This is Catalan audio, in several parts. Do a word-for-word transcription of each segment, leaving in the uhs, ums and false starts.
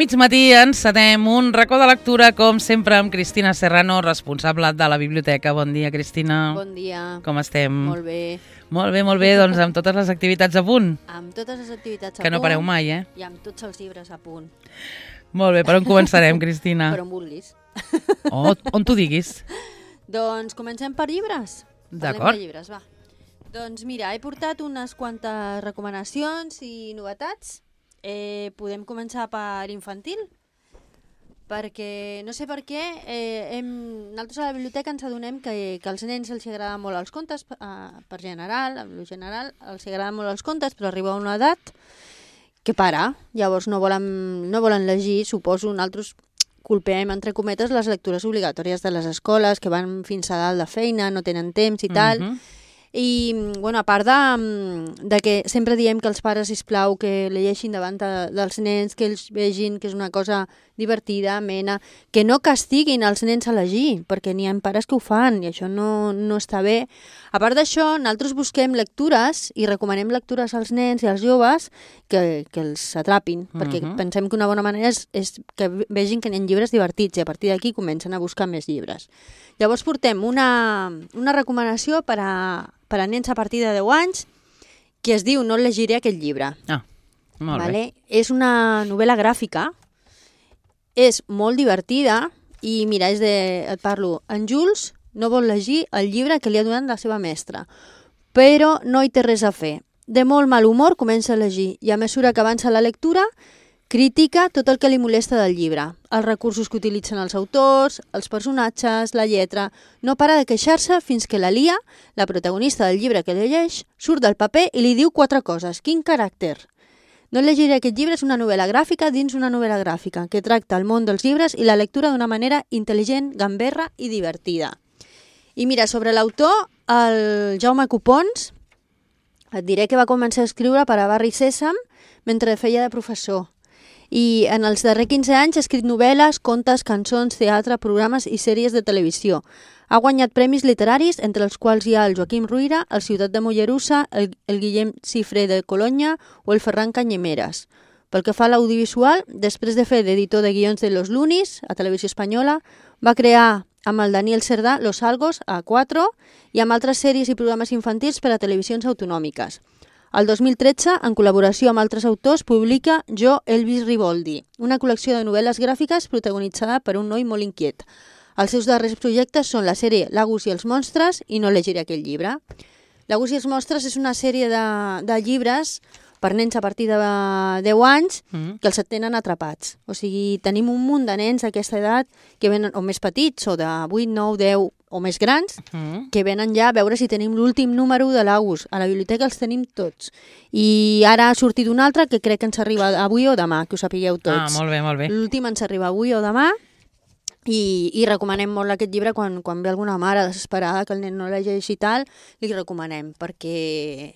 mig matí encetem un racó de lectura, com sempre, amb Cristina Serrano, responsable de la biblioteca. Bon dia, Cristina. Bon dia. Com estem? Molt bé. Molt bé, molt bé, doncs amb totes les activitats a punt. Amb totes les activitats a punt. Que no pareu mai, eh? I amb tots els llibres a punt. Molt bé, per on començarem, Cristina? Per on vulguis. Oh, on tu diguis. Doncs comencem per llibres. D'acord. Parlem de llibres, va. Doncs mira, he portat unes quantes recomanacions i novetats. Eh, podem començar per infantil, perquè no sé per què eh, hem, nosaltres a la biblioteca ens adonem que, que als nens els agraden molt els contes, eh, per general, en lo general els agraden molt els contes, però arriba a una edat que para, llavors no volen, no volen llegir, suposo. Nosaltres culpem, entre cometes, les lectures obligatòries de les escoles, que van fins a dalt de feina, no tenen temps i tal. Mhm. I, bueno, a part de, de que sempre diem que els pares, sisplau, que llegeixin davant de, dels nens, que ells vegin que és una cosa divertida, amena, que no castiguin els nens a llegir, perquè n'hi ha pares que ho fan i això no, no està bé. A part d'això, nosaltres busquem lectures i recomanem lectures als nens i als joves que, que els atrapin, uh-huh. perquè pensem que una bona manera és, és que vegin que n'hi ha llibres divertits i a partir d'aquí comencen a buscar més llibres. Llavors portem una, una recomanació per a, per a nens a partir de deu anys que es diu No llegiré aquest llibre. Ah, molt vale? bé. És una novel·la gràfica, és molt divertida i mira, és de, et parlo, en Jules no vol llegir el llibre que li ha donat la seva mestra, però no hi té res a fer. De molt mal humor comença a llegir i a mesura que avança la lectura critica tot el que li molesta del llibre, els recursos que utilitzen els autors, els personatges, la lletra. No para de queixar-se fins que la Lia, la protagonista del llibre que llegeix, surt del paper i li diu quatre coses. Quin caràcter! No llegiré aquest llibre és una novel·la gràfica dins una novel·la gràfica que tracta el món dels llibres i la lectura d'una manera intel·ligent, gamberra i divertida. I mira, sobre l'autor, el Jaume Copons, et diré que va començar a escriure per a Barri Sèsam mentre feia de professor. I en els darrers quinze anys ha escrit novel·les, contes, cançons, teatre, programes i sèries de televisió. Ha guanyat premis literaris, entre els quals hi ha el Joaquim Ruyra, el Ciutat de Mollerussa, el, el Guillem Cifré de Colonya o el Ferran Canyemeres. Pel que fa a l'audiovisual, després de fer d'editor de guions de Los Lunis, a Televisió Espanyola, va crear amb el Daniel Cerdà Los Algos, a quatre, i amb altres sèries i programes infantils per a televisions autonòmiques. El dos mil tretze, en col·laboració amb altres autors, publica Jo, Elvis Riboldi, una col·lecció de novel·les gràfiques protagonitzada per un noi molt inquiet. Els seus darrers projectes són la sèrie L'Agus i els monstres i No llegiré aquell llibre. L'Agus i els monstres és una sèrie de, de llibres per nens a partir de deu anys que els tenen atrapats. O sigui, tenim un munt de nens d'aquesta edat que venen, o més petits, o de vuit, nou, deu o més grans, que venen ja a veure si tenim l'últim número de l'Agus. A la biblioteca els tenim tots. I ara ha sortit un altre que crec que ens arriba avui o demà, que ho sapigueu tots. Ah, molt bé, molt bé. L'últim ens arriba avui o demà i, i recomanem molt aquest llibre quan, quan ve alguna mare desesperada que el nen no llegeix i tal, li recomanem, perquè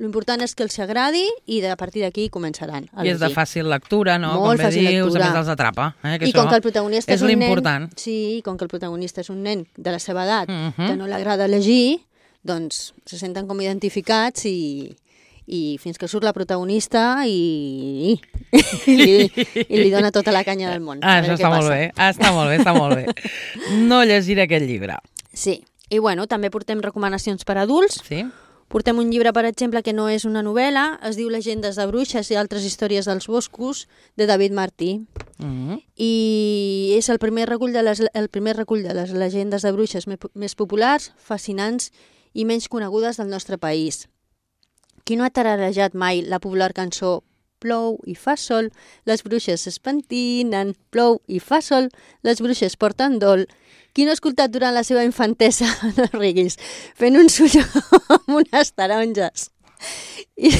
l'important és que els agradi i a partir d'aquí començaran a llegir. I és de fàcil lectura, no? Molt com bé fàcil dius, lectura. a més els atrapa. Eh? Que I com que el protagonista és, és un nen... l'important. Sí, i com que el protagonista és un nen de la seva edat, Uh-huh. que no l'agrada llegir, doncs se senten com identificats i, i fins que surt la protagonista i, i, li, i li dona tota la canya del món. Ah, això està molt bé, ah, està molt bé, està molt bé. No llegiré aquest llibre. Sí, i bueno, també portem recomanacions per a adults. Sí? Portem un llibre, per exemple, que no és una novel·la, es diu Llegendes de bruixes i altres històries dels boscos, de David Martí. Uh-huh. I és el primer recull de les, el primer recull de les llegendes de bruixes més populars, fascinants i menys conegudes del nostre país. Qui no ha tararejat mai la popular cançó Plou i fa sol, les bruixes es pentinen, plou i fa sol, les bruixes porten dol. Qui no ha escoltat durant la seva infantesa, no riguis, fent un sulló amb unes taronges? I,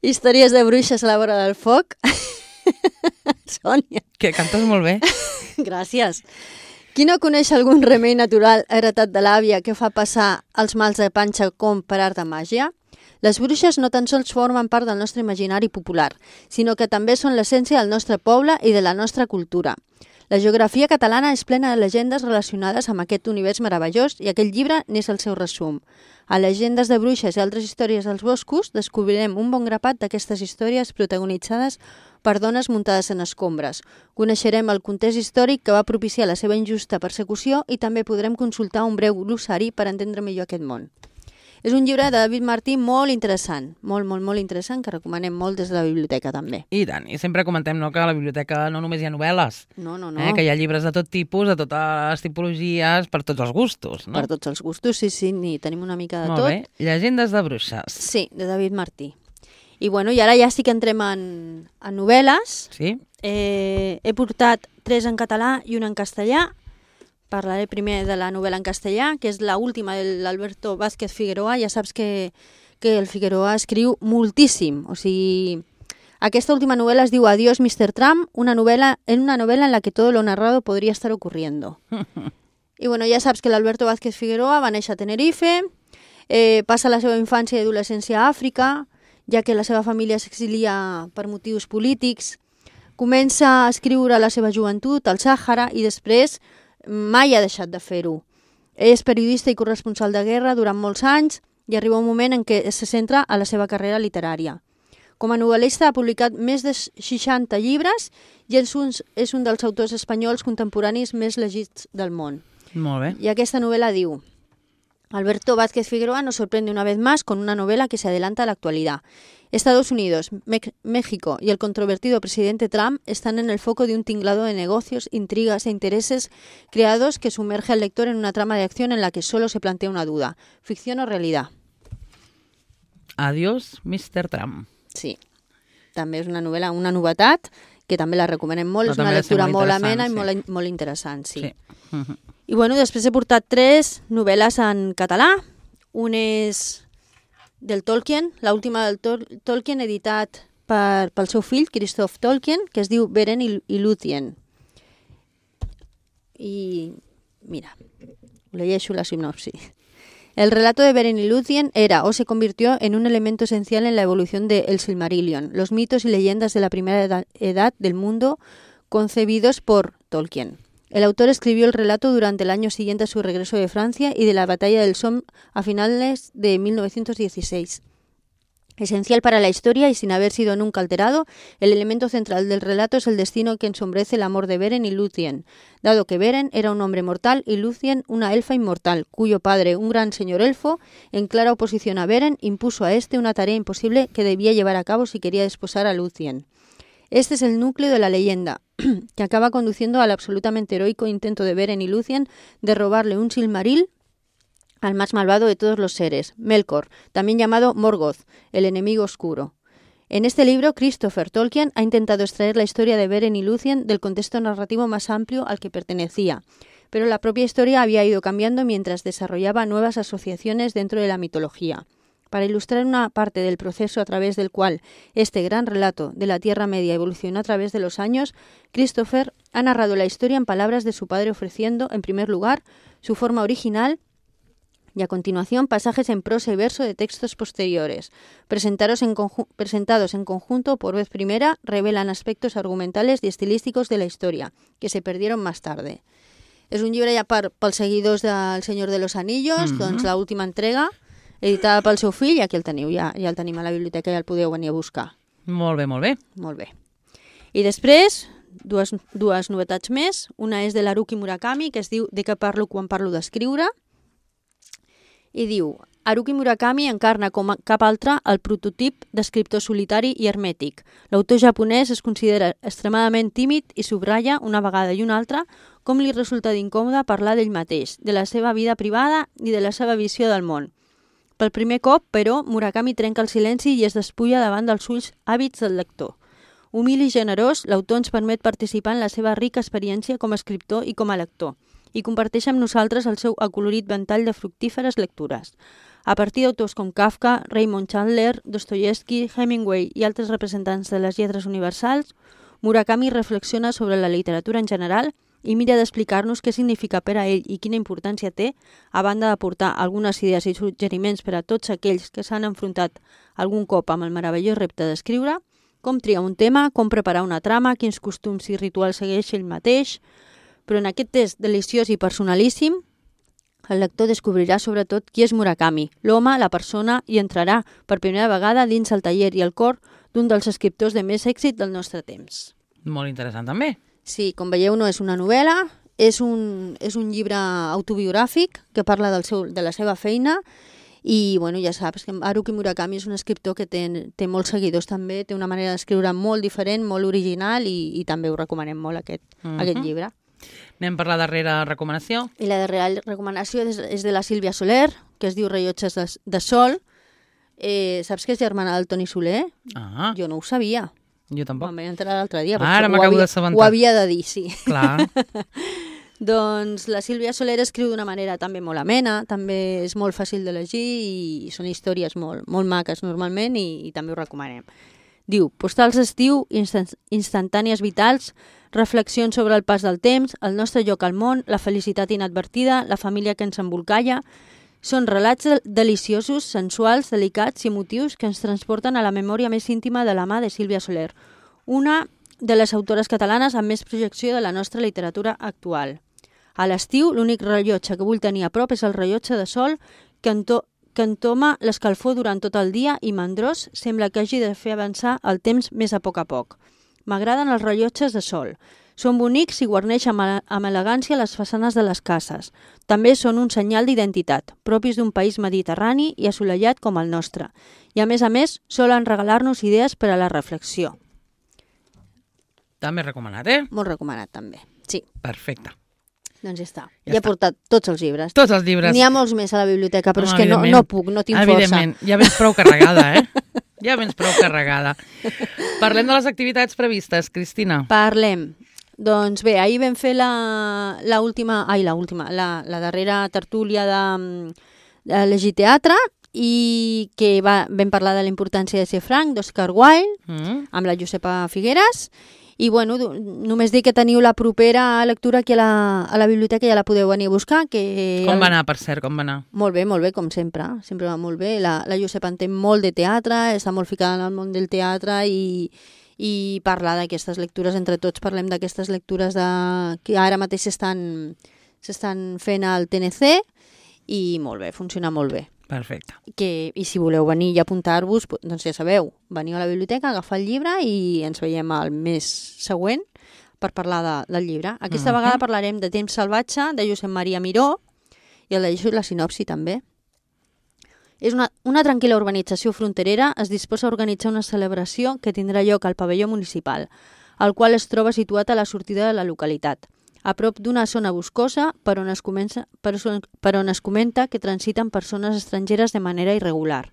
històries de bruixes a la vora del foc? Sònia. Que cantes molt bé. Gràcies. Qui no coneix algun remei natural heretat de l'àvia que fa passar els mals de panxa com per art de màgia? Les bruixes no tan sols formen part del nostre imaginari popular, sinó que també són l'essència del nostre poble i de la nostra cultura. La geografia catalana és plena de llegendes relacionades amb aquest univers meravellós i aquest llibre n'és el seu resum. A Llegendes de bruixes i altres històries dels boscos descobrirem un bon grapat d'aquestes històries protagonitzades per dones muntades en escombres. Coneixerem el context històric que va propiciar la seva injusta persecució i també podrem consultar un breu glossari per entendre millor aquest món. És un llibre de David Martí molt interessant, molt, molt, molt interessant, que recomanem molt des de la biblioteca també. I tant, i sempre comentem no, que a la biblioteca no només hi ha novel·les, No, no, no. eh, que hi ha llibres de tot tipus, de totes les tipologies, per tots els gustos. No? Per tots els gustos, sí, sí, ni tenim una mica de Molt tot. bé. Llegendes de bruixes. Sí, de David Martí. I bueno, i ara ja sí que entrem en, en novel·les. Sí? Eh, he portat tres en català i una en castellà. Parlaré primer de la novel·la en castellà, que és l'última de l'Alberto Vázquez Figueroa. Ja saps que, que el Figueroa escriu moltíssim. O sigui, aquesta última novel·la es diu Adiós, mister Trump, una novel·la, en una novel·la en la que todo lo narrado podría estar ocurriendo. I bueno, ja saps que l'Alberto Vázquez Figueroa va néixer a Tenerife, eh, passa la seva infància i adolescència a Àfrica, ja que la seva família s'exilia per motius polítics. Comença a escriure la seva joventut al Sàhara i després mai ha deixat de fer-ho. És periodista i corresponsal de guerra durant molts anys i arriba un moment en què se centra a la seva carrera literària. Com a novel·lista ha publicat més de seixanta llibres i és un, és un dels autors espanyols contemporanis més llegits del món. Molt bé. Y esta novela diu: Alberto Vázquez Figueroa nos sorprende una vez más con una novela que se adelanta a la actualidad. Estados Unidos, Me- México y el controvertido presidente Trump están en el foco de un tinglado de negocios, intrigas e intereses creados que sumerge al lector en una trama de acción en la que solo se plantea una duda: ¿ficción o realidad? Adiós, mister Trump. Sí, també és una novel·la, una novetat, que també la recomanem molt, Però és una també ha de ser lectura molt molt interessant, amena i sí. molt, molt interessant, sí. Sí. Mhm. I bueno, després he portat tres novel·les en català. Un és del Tolkien, l'última del Tol Tolkien, editat per, pel seu fill, Christoph Tolkien, que es diu Beren i, i Lúthien. I mira, leyeixo la sinopsi. El relato de Beren y Lúthien era o se convirtió en un elemento esencial en la evolución de El Silmarillion, los mitos y leyendas de la primera edad, edad del mundo concebidos por Tolkien. El autor escribió el relato durante el año siguiente a su regreso de Francia y de la batalla del Somme a finales de mil novecientos dieciséis. Esencial para la historia y sin haber sido nunca alterado, el elemento central del relato es el destino que ensombrece el amor de Beren y Lúthien, dado que Beren era un hombre mortal y Lúthien una elfa inmortal, cuyo padre, un gran señor elfo, en clara oposición a Beren, impuso a este una tarea imposible que debía llevar a cabo si quería desposar a Lúthien. Este es el núcleo de la leyenda, que acaba conduciendo al absolutamente heroico intento de Beren y Lúthien de robarle un Silmaril al más malvado de todos los seres, Melkor, también llamado Morgoth, el enemigo oscuro. En este libro, Christopher Tolkien ha intentado extraer la historia de Beren y Lúthien del contexto narrativo más amplio al que pertenecía, pero la propia historia había ido cambiando mientras desarrollaba nuevas asociaciones dentro de la mitología. Para ilustrar una parte del proceso a través del cual este gran relato de la Tierra Media evolucionó a través de los años, Christopher ha narrado la historia en palabras de su padre, ofreciendo, en primer lugar, su forma original y a continuación pasajes en prosa y verso de textos posteriores. Presentados en, presentados en conjunto por vez primera, revelan aspectos argumentales y estilísticos de la historia, que se perdieron más tarde. És un llibre ja per, pels seguidors del Senyor de los Anillos, mm-hmm. doncs l'última entrega, editada pel seu fill, i aquí el teniu, ja, ja el tenim a la biblioteca, ja el podeu venir a buscar. Molt bé, molt bé. Molt bé. I després, dues, dues novetats més. Una és de l'Haruki Murakami, que es diu De què parlo quan parlo d'escriure, i diu: Haruki Murakami encarna com cap altre el prototip d'escriptor solitari i hermètic. L'autor japonès es considera extremadament tímid i subratlla una vegada i una altra com li resulta d'incòmode parlar d'ell mateix, de la seva vida privada i de la seva visió del món. Pel primer cop, però, Murakami trenca el silenci i es despulla davant dels ulls àvids del lector. Humil i generós, l'autor ens permet participar en la seva rica experiència com a escriptor i com a lector, i comparteix amb nosaltres el seu acolorit ventall de fructíferes lectures. A partir d'autors com Kafka, Raymond Chandler, Dostoyevsky, Hemingway i altres representants de les lletres universals, Murakami reflexiona sobre la literatura en general i mira d'explicar-nos què significa per a ell i quina importància té, a banda d'aportar algunes idees i suggeriments per a tots aquells que s'han enfrontat algun cop amb el meravellós repte d'escriure, com triar un tema, com preparar una trama, quins costums i rituals segueix ell mateix. Però en aquest test deliciós i personalíssim, el lector descobrirà sobretot qui és Murakami, l'home, la persona, i entrarà per primera vegada dins el taller i el cor d'un dels escriptors de més èxit del nostre temps. Molt interessant, també. Sí, com veieu, no és una novel·la, és un, és un llibre autobiogràfic que parla del seu, de la seva feina i, bueno, ja saps que Haruki Murakami és un escriptor que té, té molts seguidors també, té una manera d'escriure molt diferent, molt original i, i també ho recomanem molt, aquest, uh-huh. aquest llibre. Anem per la darrera recomanació. I la darrera recomanació és, és de la Sílvia Soler, que es diu Rellotges de, de Sol. Eh, saps que és germana del Toni Soler? Ah. Jo no ho sabia. Jo tampoc. Me'n vaig enterar l'altre dia. Ara m'acabo d'assabentar. Ho havia de dir, sí. Clar. Doncs la Sílvia Soler escriu d'una manera també molt amena, també és molt fàcil de llegir i són històries molt, molt maques normalment i, i també ho recomanem. Diu, postals d'estiu, instant, instantànies vitals, reflexions sobre el pas del temps, el nostre lloc al món, la felicitat inadvertida, la família que ens embolcalla. Són relats deliciosos, sensuals, delicats i emotius que ens transporten a la memòria més íntima de la mà de Sílvia Soler, una de les autores catalanes amb més projecció de la nostra literatura actual. A l'estiu, l'únic rellotge que vull tenir a prop és el rellotge de sol que, ento que entoma l'escalfor durant tot el dia i mandrós sembla que hagi de fer avançar el temps més a poc a poc. M'agraden els rellotges de sol. Són bonics i guarneixen amb, amb elegància les façanes de les cases. També són un senyal d'identitat, propis d'un país mediterrani i assolellat com el nostre. I a més a més, solen regalar-nos idees per a la reflexió. També recomanat, eh? Molt recomanat, també. Sí. Perfecte. Doncs ja està. Ja, ja he portat tots els llibres. Tots els llibres. N'hi ha molts més a la biblioteca, però no, és que no, no puc, no tinc força. Evidentment, ja vens prou carregada, eh? Ja vens prou carregada. Parlem de les activitats previstes, Cristina. Parlem. Doncs bé, ahir vam fer la, la última, ai, la última, la, la darrera tertúlia de, de Llegir Teatre i que va, vam parlar de la importància de ser franc, d'Oscar Wilde, mm. amb la Josepa Figueres. I bueno, només dir que teniu la propera lectura aquí a la, a la biblioteca, ja la podeu venir a buscar. Que com va anar, per cert, com va anar? Molt bé, molt bé, com sempre. Sempre va molt bé. La, la Josepa en té molt de teatre, està molt ficada en el món del teatre i, i parlar d'aquestes lectures, entre tots parlem d'aquestes lectures de, que ara mateix s'estan s'estan fent al T N C i molt bé, funciona molt bé. Perfecte. Que, I si voleu venir i apuntar-vos, doncs ja sabeu, veniu a la biblioteca, agafar el llibre i ens veiem al mes següent per parlar de, del llibre. Aquesta uh-huh. vegada parlarem de Temps salvatge, de Josep Maria Miró, i el llegeixo la sinopsi també. És una, una tranquil·la urbanització fronterera es disposa a organitzar una celebració que tindrà lloc al pavelló municipal, el qual es troba situat a la sortida de la localitat, a prop d'una zona boscosa per on, es comença, per, per on es comenta que transiten persones estrangeres de manera irregular.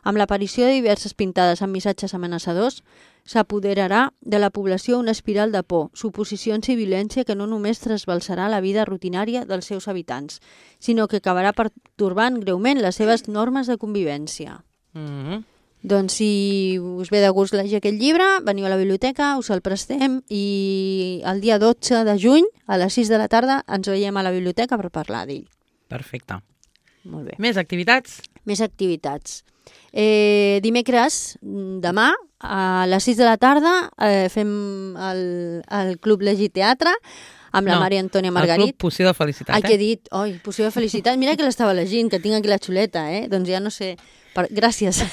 Amb l'aparició de diverses pintades amb missatges amenaçadors, s'apoderarà de la població una espiral de por, suposicions i violència que no només trasbalsarà la vida rutinària dels seus habitants, sinó que acabarà pertorbant greument les seves normes de convivència. Mm-hmm. Doncs si us ve de gust llegir aquest llibre, veniu a la biblioteca, us el prestem i el dia dotze de juny, a les sis de la tarda, ens veiem a la biblioteca per parlar d'ell. Perfecte. Molt bé. Més activitats? Més activitats. Eh, dimecres, demà, a les sis de la tarda, eh, fem el, el Club Llegir Teatre amb la no, Maria Antònia Margarit. El Club Poció de Felicitat, Ai, eh? que he dit? Oi, Poció de Felicitat. Mira que l'estava llegint, que tinc aquí la xuleta, eh? Doncs ja no sé... Per... Gràcies.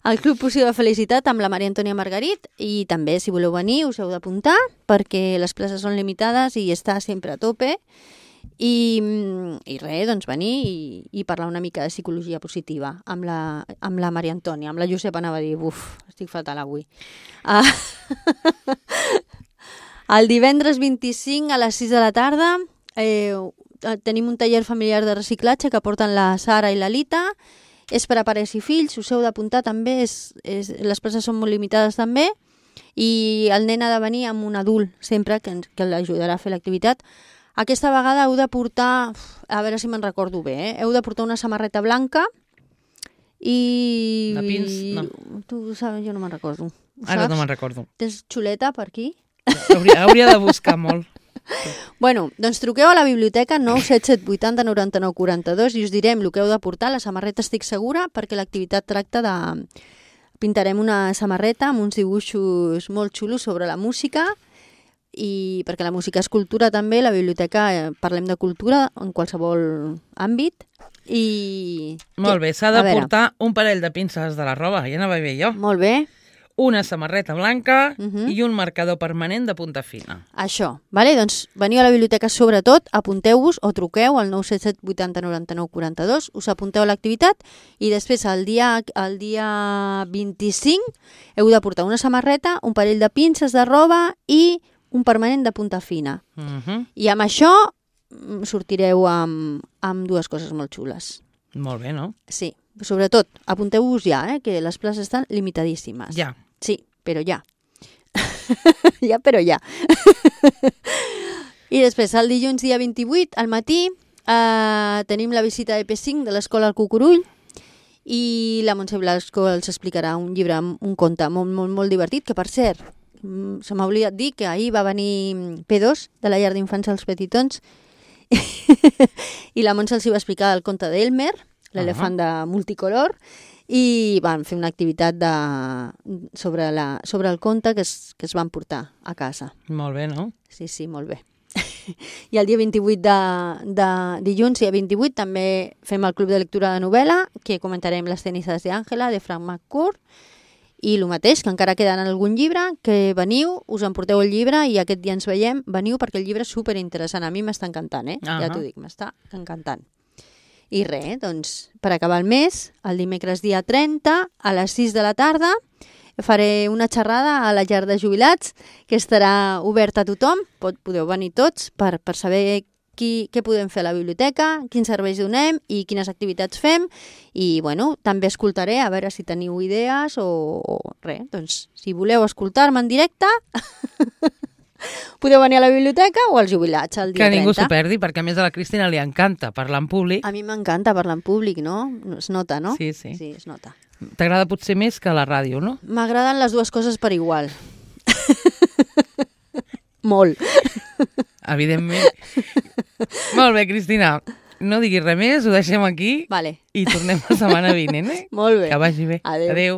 El Club Poció de Felicitat amb la Maria Antònia Margarit i també, si voleu venir, us heu d'apuntar perquè les places són limitades i està sempre a tope i, i res, doncs venir i, i parlar una mica de psicologia positiva amb la, amb la Maria Antònia, amb la Josepa anava a dir, uf, estic fatal avui. Ah. El divendres vint-i-cinc a les sis de la tarda eh, tenim un taller familiar de reciclatge que porten la Sara i la Lita. És per a pares i fills, us heu d'apuntar també, és, és, les places són molt limitades també, i el nen ha de venir amb un adult sempre que, que l'ajudarà a fer l'activitat. Aquesta vegada heu de portar, a veure si me'n recordo bé, eh? heu de portar una samarreta blanca i... De pins? No. Tu saps, jo no me'n recordo. Ara no me'n recordo. Tens xuleta per aquí? Hauria, hauria de buscar molt. Bueno, doncs truqueu a la biblioteca nou set set vuit zero noranta-nou quaranta-dos i us direm el que heu de portar. La samarreta estic segura perquè l'activitat tracta de pintarem una samarreta amb uns dibuixos molt xulos sobre la música, i perquè la música és cultura també, la biblioteca eh, parlem de cultura en qualsevol àmbit. I... Molt bé, s'ha de portar un parell de pinces de la roba, ja anava bé jo. Molt bé. Una samarreta blanca uh Mhm. -huh. i un marcador permanent de punta fina. Això, vale? Doncs veniu a la biblioteca sobretot, apunteu-vos o truqueu al nou set set vuitanta noranta nou quaranta dos, us apunteu a l'activitat i després el dia, el dia vint-i-cinc heu de portar una samarreta, un parell de pinces de roba i un permanent de punta fina. Uh -huh. I amb això mm, sortireu amb, amb dues coses molt xules. Molt bé, no? Sí, sobretot, apunteu-vos ja, eh, que les places estan limitadíssimes. Ja. Sí, però ja. ja, però ja. I després, el dilluns dia vint-i-vuit, al matí, eh, tenim la visita de P cinc de l'Escola al Cucurull i la Montse Blasco els explicarà un llibre, un conte molt, molt, molt divertit, que per cert, mm, se m'ha oblidat dir que ahir va venir P dos de la llar d'infants als Petitons i la Montse els hi va explicar el conte d'Elmer, l'elefant de multicolor, i van fer una activitat de, sobre, la, sobre el conte que es, que es van portar a casa. Molt bé, no? Sí, sí, molt bé. I el dia vint-i-vuit de, de dilluns, dia vint-i-vuit, també fem el Club de Lectura de Novel·la, que comentarem Les cenizas de Àngela, de Frank McCourt, i el mateix, que encara queden algun llibre, que veniu, us emporteu el llibre i aquest dia ens veiem, veniu perquè el llibre és superinteressant. A mi m'està encantant, eh? Uh-huh. Ja t'ho dic, m'està encantant. I res, doncs, per acabar el mes, el dimecres dia trenta, a les sis de la tarda, faré una xerrada a la llar de jubilats, que estarà oberta a tothom, Pot, podeu venir tots per, per saber qui, què podem fer a la biblioteca, quins serveis donem i quines activitats fem, i bueno, també escoltaré a veure si teniu idees o, o res, doncs si voleu escoltar-me en directe... Podeu venir a la biblioteca o als jubilats el dia trenta. Que ningú trenta. s'ho perdi, perquè a més a la Cristina li encanta parlar en públic. A mi m'encanta parlar en públic, no? Es nota, no? Sí, sí. Sí, es nota. T'agrada potser més que la ràdio, no? M'agraden les dues coses per igual. Molt. Evidentment. Molt bé, Cristina. No diguis res més, ho deixem aquí Vale. i tornem la setmana vinent, eh? Molt bé. Que vagi bé. Adéu. Adéu.